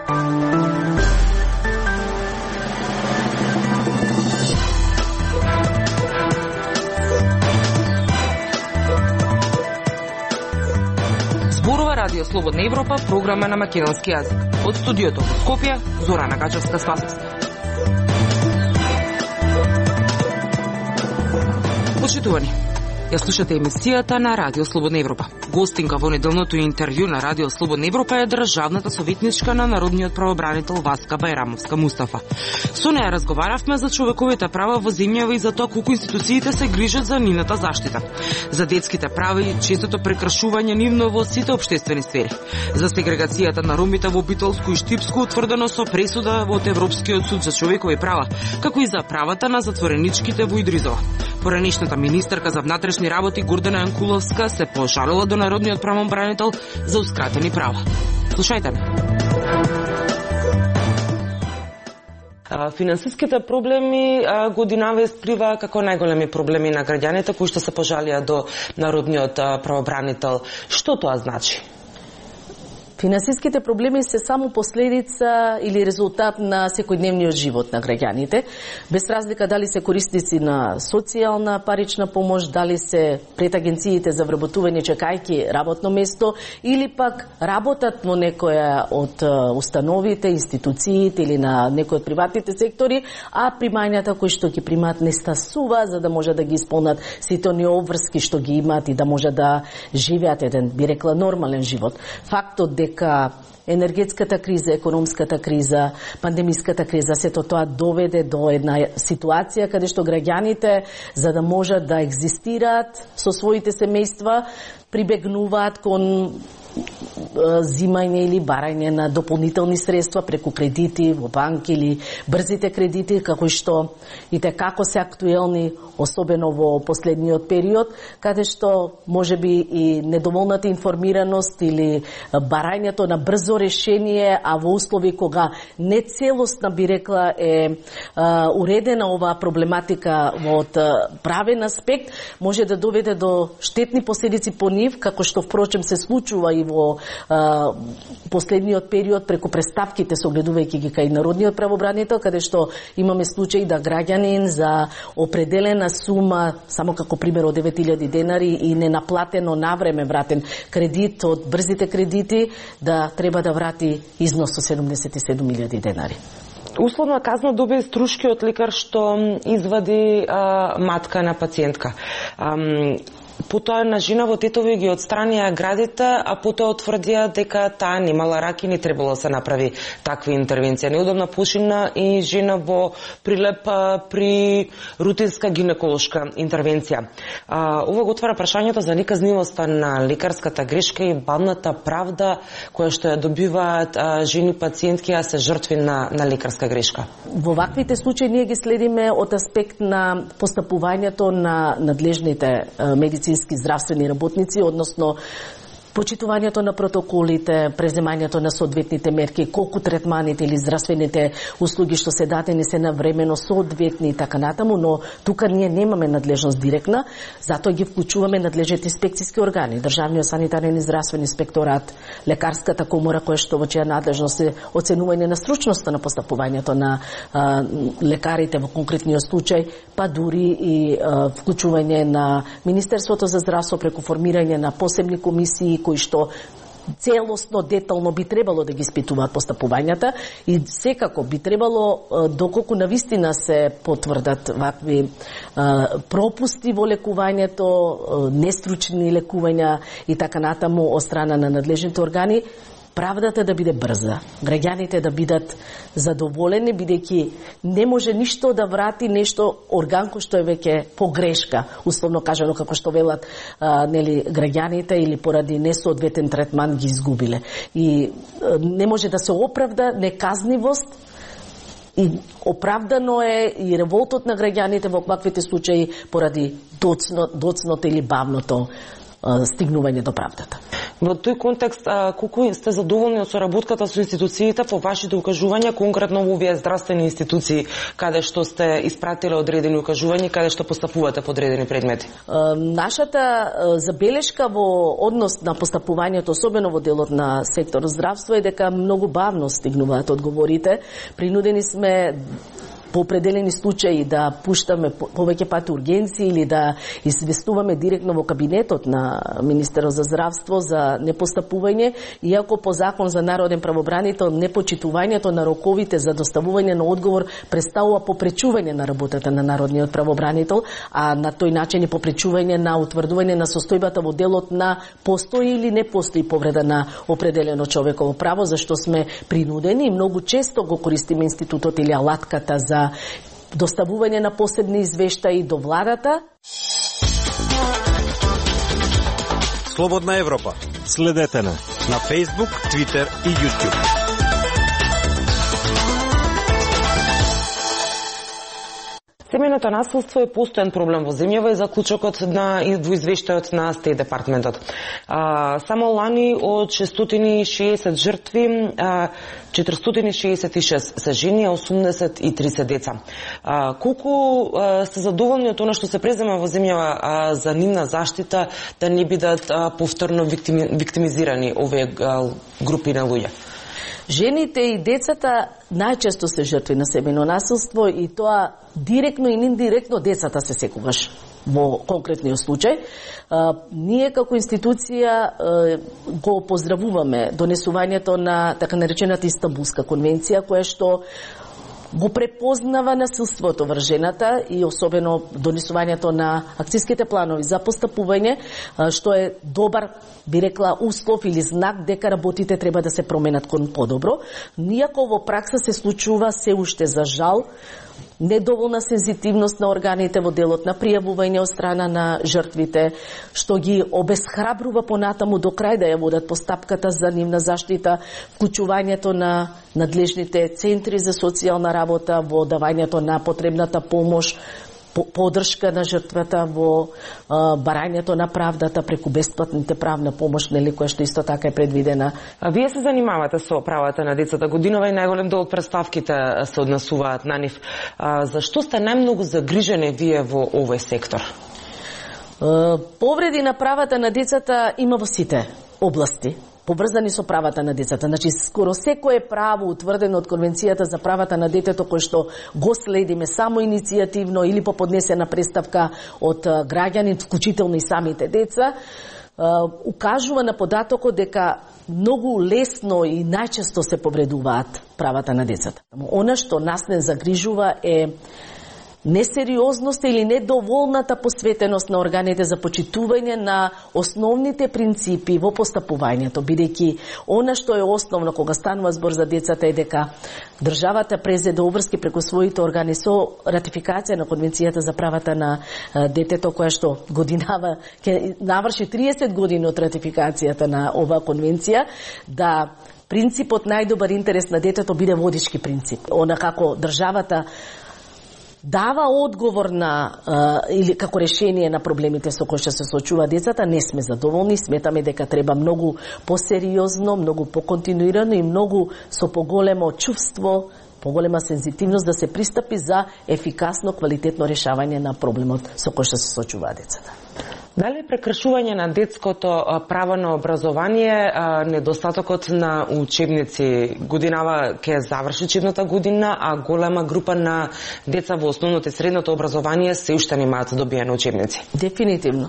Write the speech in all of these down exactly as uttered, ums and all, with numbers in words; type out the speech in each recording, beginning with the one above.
Радио Слободна Европа, програма на македонски јазик. Од студиото во Скопје, Зорана Гачевска-Спасовска. Почитувани, ја слушате емисијата на Радио Слободна Европа. Гостинка во неделното интервју на Радио Слободна Европа е државната советничка на народниот правобранител Васка Бајрамовска Мустафа. Со неја разговаравме за човековите права во земјава и за тоа колку институциите се грижат за нивната заштита. За детските права и честото прекршување нивно во сите општествени сфери. За сегрегацијата на ромите во Битолско и Штипско, утврдено со пресуда од Европскиот суд за човекови права, како и за правата на затвореничките во Идризова. Поранешната министерка за внатрешни работи Гордана Јанкуловска се пожалила до народниот правобранител заускратени права. Слушајте ме. Финансиските проблеми годинава исплива како најголеми проблеми на граѓаните кои што се пожалија до народниот правобранител. Што тоа значи? Финансиските проблеми се само последица или резултат на секојдневниот живот на граѓаните, без разлика дали се корисници на социјална парична помош, дали се пред агенциите за вработување чекајки работно место или пак работат во некоја од установите, институциите или на некој од приватните сектори, а примањата кои што ги примаат не стасува за да може да ги исполнат сите оние обврски што ги имаат и да може да живеат еден, би рекла, нормален живот. Фактот дека енергетската криза, економската криза, пандемиската криза, сето тоа доведе до една ситуација каде што граѓаните, за да можат да екзистираат со своите семејства, прибегнуваат кон зимање или барање на дополнителни средства преку кредити во банки или брзите кредити, како што и те како се актуелни, особено во последниот период, каде што можеби и недоволната информираност или барањето на брзо решение, а во услови кога не целосно, би рекла, е а, уредена оваа проблематика од правен аспект, може да доведе до штетни последици по нив, како што впрочем се случува и во а, последниот период преку преставките, согледувајќи ги кај народниот правобранител, каде што имаме случаи да граѓанин за определена сума, само како пример од девет илјади денари и ненаплатено навреме вратен кредит од брзите кредити, да треба да врати износ со седумдесет и седум илјади денари. Условна казна добие струшкиот лекар што извади а, матка на пациентка. Ам, Потоа на жена во Тетови ги отстранија градите, а потоа утврдија дека таа немала рак и не требало да се направи таква интервенција. Неудобна почина и жена во Прилеп при рутинска гинеколошка интервенција. А, ова го отвара прашањето за неказнивоста на лекарската грешка и бавната правда која што ја добиваат а, жени пациентки, а се жртви на, на лекарска грешка. Во ваквите случаи ние ги следиме од аспект на постапувањето на надлежните медицински здравствени работници, односно почитувањето на протоколите, преземањето на соодветните мерки, колку третманите или здравствените услуги што се дадени се навремено соодветни и така натаму, но тука ние немаме надлежност директна, затоа ги вклучуваме надлежните инспекцијски органи, државниот санитарен и здравствен инспекторат, лекарската комора која што во чија надлежност е оценување на стручноста на постапувањето на а, лекарите во конкретниот случај, па дури и а, вклучување на Министерството за здравство преку формирање на посебни комисии кои што целосно, детално би требало да ги испитуваат постапувањата и секако би требало, доколку навистина се потврдат вакви пропусти во лекувањето, нестручни лекувања и така натаму од страна на надлежните органи, правдата да биде брза, граѓаните да бидат задоволени, бидејќи не може ништо да врати нешто орган кој што е веќе погрешка, условно кажано како што велат а, нели граѓаните или поради несоодветен третман ги изгубиле. И а, не може да се оправда неказнивост и оправдано е и револтот на граѓаните во ваквите случаи поради доцно, доцното или бавното стигнување до правдата. Во тој контекст, колку сте задоволни од соработката со институциите по вашите укажувања, конкретно во овие здравствени институции, каде што сте испратиле одредени укажувања, каде што постапувате по одредени предмети? Нашата забелешка во однос на постапувањето, особено во делот на сектор здравство, е дека многу бавно стигнуваат одговорите. Принудени сме по определени случаи да пуштаме повеќе пати ургенции или да известуваме директно во кабинетот на Министерот за здравство за непостапување, иако по закон за народен правобранител непочитувањето на роковите за доставување на одговор представува попречување на работата на народниот правобранител, а на тој начин и попречување на утврдување на состојбата во делот на постои или не постои повреда на определено човеково право, зашто сме принудени и многу често го користиме институтот или алатката за доставување на посебни извештаи до владата. Слободна Европа. Следете на на Facebook, Twitter и YouTube. Семејното насилство е постојан проблем во земјава и заклучокот на во извештајот на Стейт департментот. А, само лани од шестстотини и шеесет жртви, а, четиристотини и шеесет и шест се жени, а осумдесет и три се деца. А, колку а, сте задоволни од она што се презема во земјава а, за нивна заштита, да не бидат а, повторно виктими, виктимизирани овие а, групи на луѓе? Жените и децата најчесто се жртви на семејно насилство и тоа директно и индиректно децата се секогаш во конкретниот случај. А, ние како институција а, го поздравуваме донесувањето на така наречената Истанбулска конвенција, која што го препознава насилството врз жената и особено донесувањето на акциските планови за постапување, што е добар, би рекла, услов или знак дека работите треба да се променат кон подобро. Иако во пракса се случува се уште за жал недоволна сензитивност на органите во делот на пријавување од страна на жртвите, што ги обесхрабрува понатаму до крај да ја водат постапката за нивна заштита, вклучувањето на надлежните центри за социјална работа во давањето на потребната помош, поддршка на жртвата во а, барањето на правдата преку бесплатните правна помош, нели, која што исто така е предвидена. А вие се занимавате со правата на децата годинова и најголем дел од представките се однесуваат на нив. А, зашто сте најмногу загрижени вие во овој сектор? А, повреди на правата на децата има во сите области поврзани со правата на децата. Значи, скоро секое право утврдено од Конвенцијата за правата на детето, кој што го следиме само иницијативно или по поднесена представка од граѓани, вклучително и самите деца, укажува на податокот дека многу лесно и најчесто се повредуваат правата на децата. Она што нас не загрижува е несериозноста или недоволната посветеност на органите за почитување на основните принципи во постапувањето, бидејќи она што е основно кога станува збор за децата е дека државата презеде обврски преку своите органи со ратификација на Конвенцијата за правата на детето, која што годинава ќе наврши триесет години од ратификацијата на оваа конвенција, да принципот најдобар интерес на детето биде водички принцип. Она како државата дава одговор на а, или како решение на проблемите со кои што се соочува децата, не сме задоволни. Сметаме дека треба многу посериозно, многу поконтинуирано и многу со поголемо чувство, поголема сензитивност да се пристапи за ефикасно, квалитетно решавање на проблемот со кој што се соочува децата. Дали прекршување на детското право на образование, недостатокот на учебници, годинава ќе заврши учебната година, а голема група на деца во основното и средното образование се уште немаат добиени учебници? Дефинитивно.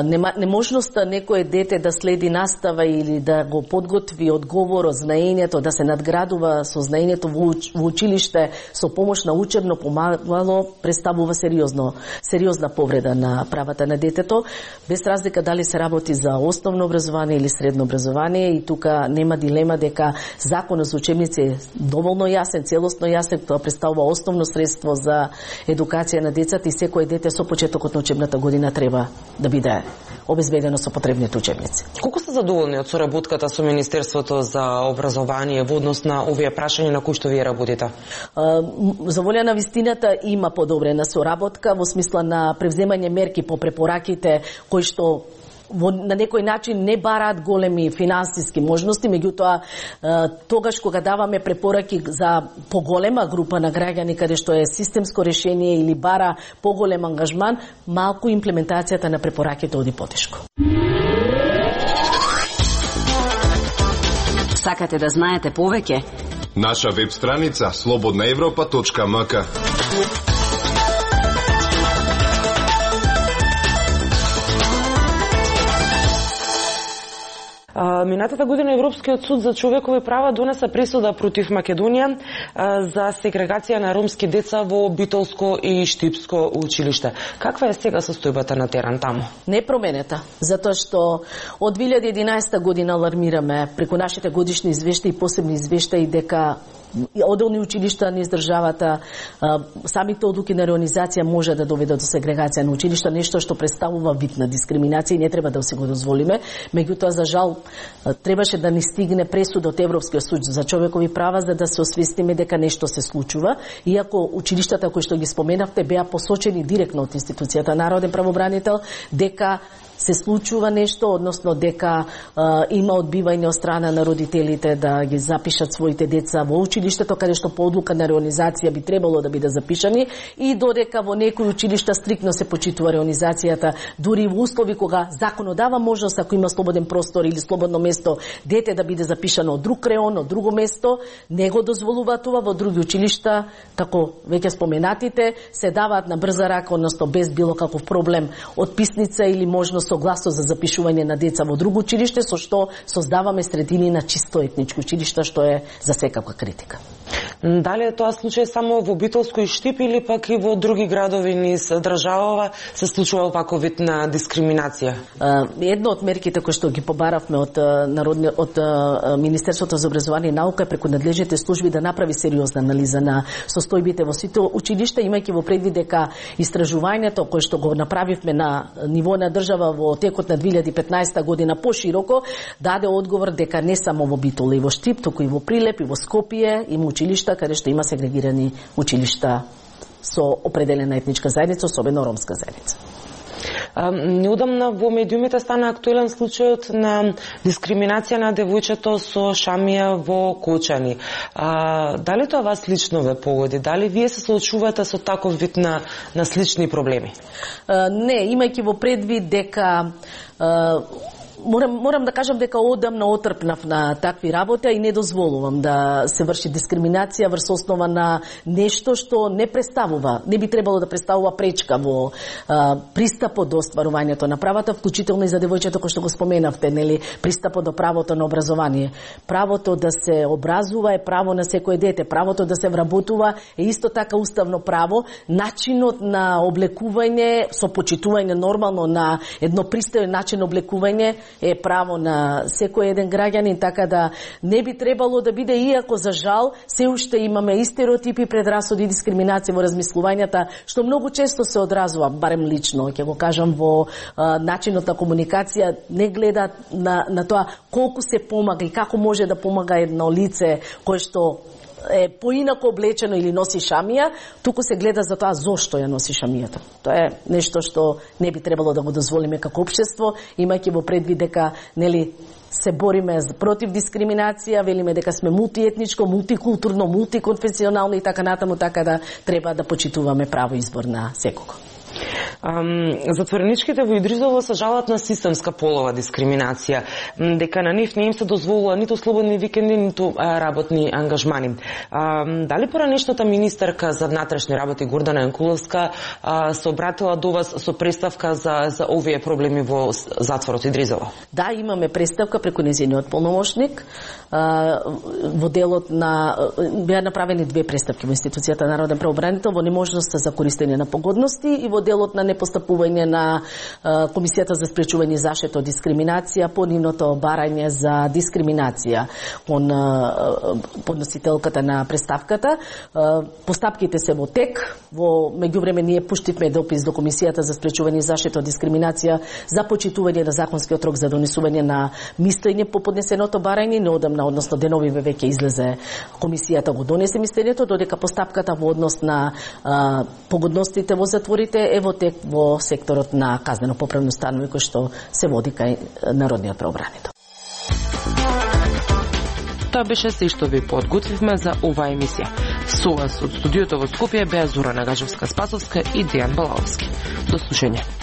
Нема, неможноста некое дете да следи настава или да го подготви одговорот, знаењето, да се надградува со знаењето во, уч, во училиште со помош на учебно помагало, представува сериозно, сериозна повреда на правата на детето, без разлика дали се работи за основно образование или средно образование, и тука нема дилема дека законот за учебници е доволно јасен, целосно јасен, тоа представува основно средство за едукација на децата и секој дете со почетокот на учебната година треба да биде биде обезбедено со потребните учебници. Колку сте задоволни од соработката со Министерството за образование во однос на овие прашања на кои што вие работите? За волја на вистината има подобрена соработка во смисла на превземање мерки по препораките кои што во, на некој начин не бараат големи финансиски можности, меѓутоа тогаш кога даваме препораки за поголема група на граѓани каде што е системско решение или бара поголем ангажман, малку имплементацијата на препораките оди потешко. Сакате да знаете повеќе? Наша веб страница слободна европа точка ем ка. Минатата година Европскиот суд за човекови права донесе пресуда против Македонија за сегрегација на ромски деца во Битолско и Штипско училиште. Каква е сега состојбата на терен таму? Не променета, затоа што од две илјади и единаесета година алармираме преку нашите годишни извештаи и посебни извештаи дека одделни училишта низ државата, самите одлуки на реонизација може да доведат до сегрегација на училишта, нешто што представува вид на дискриминација и не треба да си го дозволиме. Меѓутоа, за жал, требаше да ни стигне пресуда од Европскиот суд за човекови права за да се освестиме дека нешто се случува, иако училиштата кои што ги споменавте беа посочени директно од институцијата Народен правобранител дека се случува нешто, односно дека а, има одбивање од страна на родителите да ги запишат своите деца во училиштето, каде што по одлука на реонизација би требало да биде запишани, и додека во некои училишта стрикно се почитува реонизацијата, дури во услови кога законот дава можност, ако има слободен простор или слободно место, дете да биде запишано од друг реон, од друго место, не го дозволува тоа. Во други училишта, како веќе споменатите, се даваат на брза рака, односно без било каков проблем, отписница или можност согласно за запишување на деца во друго училиште, со што создаваме средини на чисто етнички училишта, што е за секаква критика. Дали е тоа случај само во Битолско и Штип или пак и во други градови низ државава се случува ваков вид на дискриминација? Едно од мерките кои што ги побаравме од народни од Министерството за образование и наука е преку надлежните служби да направи сериозна анализа на состојбите во сите училишта, имајќи во предвид дека истражувањето кое што го направивме на ниво на држава во текот на две илјади и петнаесета година пошироко даде одговор дека не само во Битола и во Штип, туку и во Прилеп и во Скопје има училишта каде што има сегрегирани училишта со определена етничка заедница, особено ромска заедница. Неодамна во медиумите стана актуелен случајот на дискриминација на девојчето со шамија во Кочани. А, дали тоа вас лично ве погоди? Дали вие се соочувате со таков вид на, на слични проблеми? А, не, имајќи во предвид дека а, Морам, морам да кажам дека одамна отрпнав на такви работи и не дозволувам да се врши дискриминација врз основа на нешто што не представува, не би требало да представува пречка во а, пристапот до остварувањето на правата, вклучително и за девојчето кој што го споменавте, нели, пристапот до правото на образование. Правото да се образува е право на секој дете, правото да се вработува е исто така уставно право, начинот на облекување со почитување нормално на едно пристојен начин облекување е право на секој еден граѓанин, така да не би требало да биде, иако за жал се уште имаме и стереотипи, предрасуди и дискриминација во размислувањата, што многу често се одразува, барем лично, ќе го кажам, во а, начинот на комуникација, не гледа на, на тоа колку се помага и како може да помага едно лице кое што е поинако облечено или носи шамија, туку се гледа за тоа зошто ја носи шамијата. Тоа е нешто што не би требало да го дозволиме како општество, имајќи во предвид дека, нели, се бориме против дискриминација, велиме дека сме мултиетничко, мултикултурно, мултиконфесионално и така натаму, така да треба да почитуваме право избор на секого. Um, затвореничките во Идризово се жалат на системска полова дискриминација, дека на нив не им се дозволува ниту слободни викенди, ниту а, работни ангажмани. Um, дали поранешната министерка за внатрешни работи Гордана Јанкуловска а, се обратила до вас со представка за, за овие проблеми во затворот Идризово? Да, имаме представка преку нејзиниот полномошник. А, во делот на беа направени две представки во институцијата Народен правобранител во неможноста за користење на погодности и во делот на на непостапување на Комисијата за спречување и заштита од дискриминација по нивното барање за дискриминација кон подносителката на преставката. Постапките се во тек. Во меѓувреме ние пуштивме допис до Комисијата за спречување и заштита од дискриминација за почитување на законскиот рок за донесување на мислење по поднесеното барање. Неодамна, односно деновиве веќе излезе Комисијата го донесе мислењето, додека постапката во однос на а, погодностите во затворите е во тек во секторот на казнено-поправни установи кој што се води кај Народниот правобранител. Тоа беше се што ви подготвивме за оваа емисија. Со вас од студиото во Скопје беа Зора Нагажевска-Спасовска и Дејан Балаовски. До слушање.